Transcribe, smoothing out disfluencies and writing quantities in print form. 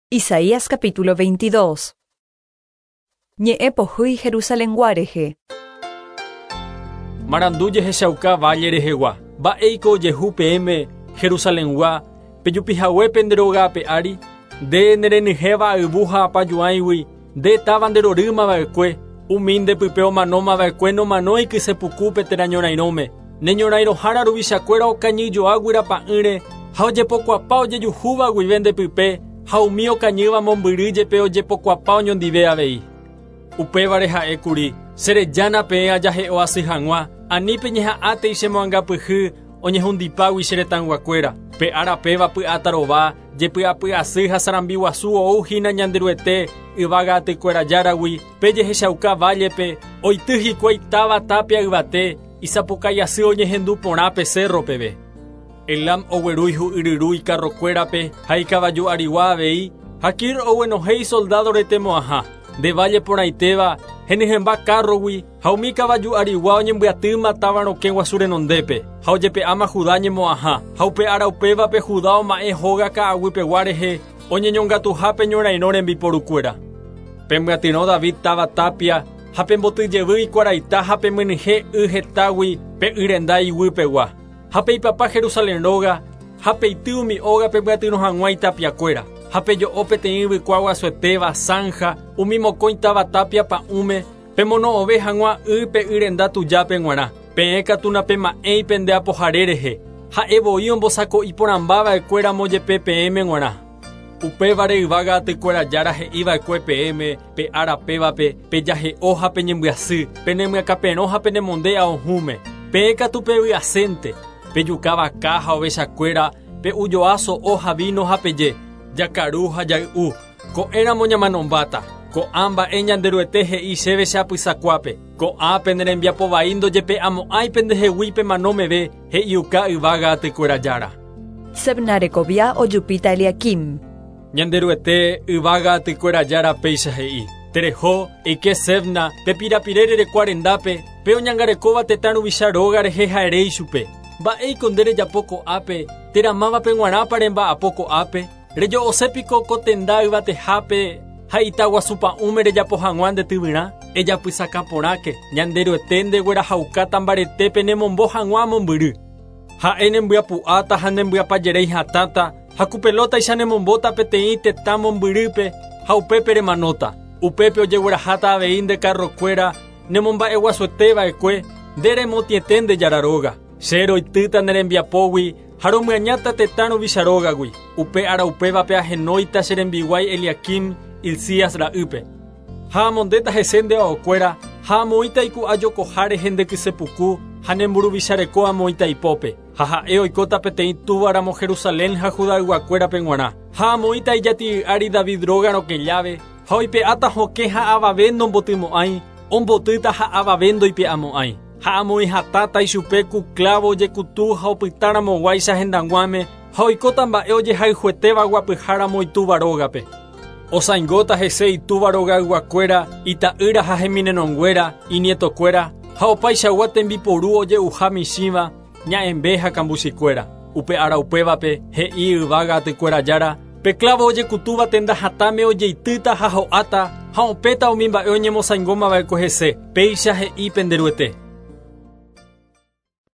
Isaías capítulo 22. Ñe'ẽ pohýi Jerusalengua rehe. Marandu jehechauka valle rehegua. Mba'éiko ojehu peẽme, Jerusalengua, pejupihague pende róga ape ári? Nde nerenyhẽva ayvu ha apajuãigui, nde táva nderorýma va'ekue, umi nde pype omanóma va'ekue nomanói kyse pukúpe térã ñorairõme. Ne ñorairõhára ruvichakuéra okañyjoa guyrapa'ỹre ha ojepokuapa ojejuhúva guive nde pype, ha umi okañýva mombyry jepe ojepokuapa oñondive avei. Upévare ha'e kuri, Cherejána peẽ ajahe'o asy hag̃ua, ani peñeha'ãtei chemoangapyhy oñehundipágui che retãyguakuéra. Pe ára péva py'atarova, jepy'apy'asy ha sarambi guasu ou hína Ñanderuete yvága atykuéra Járagui, pe jehechauka vállepe, oity hikuái táva tápia yvate, isapukái asy oñehendu porã pe cérro peve. Elam ogueru ihu'yryru ikarrokuérape ha ikavaju arigua avei, ha Kir oguenohẽ isoldádo retemo'ãha. Nde válle porãitéva, henyhẽmba kárrogui, ha umi kavaju arigua oñembyatýma táva rokẽ guasu renondépe, ha ojepe'áma Judá ñemo'ãha. Ha upe ára upévape Judá oma'ẽ hóga ka'aguypegua rehe, oñeñongatuhápe ñorairõ rembiporukuéra. Pemyatyrõ David táva tápia, ha pemboty jevy ikuaraita ha pemyenyhẽ y hetágui pe y renda iguypegua. Ha peipapa Jerusalén róga, ha peity umi óga pemyatyrõ hag̃ua itapiakuéra, ha pejo'o peteĩ yvykua guasuetéva, sánha, umi mokõi táva tápia pa'ũme, pemono'õve hag̃ua y pe y renda tujápe g̃uarã. Peẽ katu napema'ẽi pende apohare rehe, ha'e voi ombosako'i porãmba va'ekue ramo jepe peẽme g̃uarã. Upévare yvága atykuéra Jára he'i va'ekue peẽme pe ára pévape, Pejahe'o ha peñembyasy, penemyakãperõ ha penemonde aohũme. Peẽ katu pevy'asénte, pejuka vaka ha ovechakuéra, pe'ujoa so'o ha víno ha peje, Jakaru ha jay'u, ko'ẽramo ñamanombáta. Ko'ã mba'e Ñanderuete he'i chéve che apysakuápe, Ko'ã pene rembiapo vai ndojepe'amo'ãi pendehegui pemano meve, he'iuka yvága atykuéra Jára. Sebna rekovia ojupíta Eliaquim. Ñanderuete yvága atykuéra Jára péicha he'i, Tereho, eike Sebna, pe pirapire rerekua rendápe, pe oñangarekóva tetã ruvicha róga rehe ha ere ichupe, Mba'éiko nde rejapo ko'ápe, térã mávape g̃uarãpa remba'apo ko'ápe? Rejo'ose piko ko tenda yvatehápe ha ita guasu pa'ũme rejapo hag̃ua nde tyvyrã? Ejapysakã porãke, Ñanderuete ndeguerahaukáta mbaretépe nemombo hag̃ua mombyry. Ha'e nembyapu'áta ha nembyapajeréi hatãta, ha ku pelótaicha nemombóta peteĩ tetã mombyrýpe ha upépe remanóta. Upépe ojegueraháta avei nde karrokuéra nemomba'eguasuete va'ekue, nde remotĩete nde Jára róga. Che roitýta ne rembiapógui ha romyañáta tetã ruvicha rógagui. Upe ára upévape ahenóita che rembiguái Eliaquim, Hilcías ra'ýpe. Ha amondéta hese nde aokuéra, ha amoĩta iku'a jokoha rehe nde kyse puku, ha ne mburuvicha reko amoĩta ipópe. Ha ha'e oikóta peteĩ túva ramo Jerusalén ha Judayguakuérape g̃uarã. Ha amoĩta ijati'y ári David róga rokẽ lláve, ha oipe'áta hokẽ ha avave nombotymo'ãi, ombotýta ha avave ndoipe'amo'ãi. Ha amoĩ hatãta ichupe ku klávo ojekutu ha opyta ramoguáicha hendag̃uáme, ha oikóta mba'e ojehayhuetéva guapyha ramo itúva rógape. Osãingóta hese itúva rogayguakuéra, ita'ýra ha heminenonguéra, inietokuéra, ha opaichagua tembiporu oje'uha michĩva, ña'ẽmbe ha kambuchikuéra. Upe ára upévape, he'i yvága atykuéra Jára, pe klávo ojekutúva tenda hatãme ojeitýta ha ho'áta, ha opẽta umi mba'e oñemosãingóma va'ekue hese, péicha he'i pende Ruete.